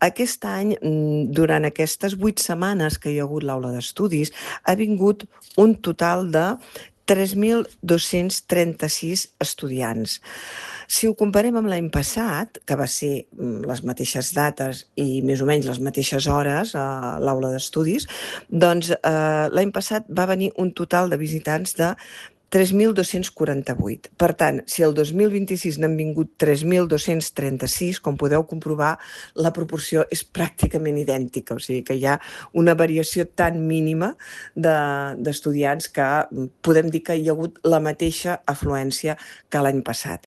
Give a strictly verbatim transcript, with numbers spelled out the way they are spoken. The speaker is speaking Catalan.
Aquest any, mm, durant aquestes vuit setmanes que hi ha hagut l'aula d'estudis, ha vingut un total de tres mil dos-cents trenta-sis estudiants. Si ho comparem amb l'any passat, que va ser mm, les mateixes dates i més o menys les mateixes hores a l'aula d'estudis, doncs eh, l'any passat va venir un total de visitants de tres mil dos-cents quaranta-vuit. Per tant, si el dos mil vint-i-sis n'han vingut tres mil dos-cents trenta-sis, com podeu comprovar, la proporció és pràcticament idèntica, o sigui que hi ha una variació tan mínima de- d'estudiants que mm, podem dir que hi ha hagut la mateixa afluència que l'any passat.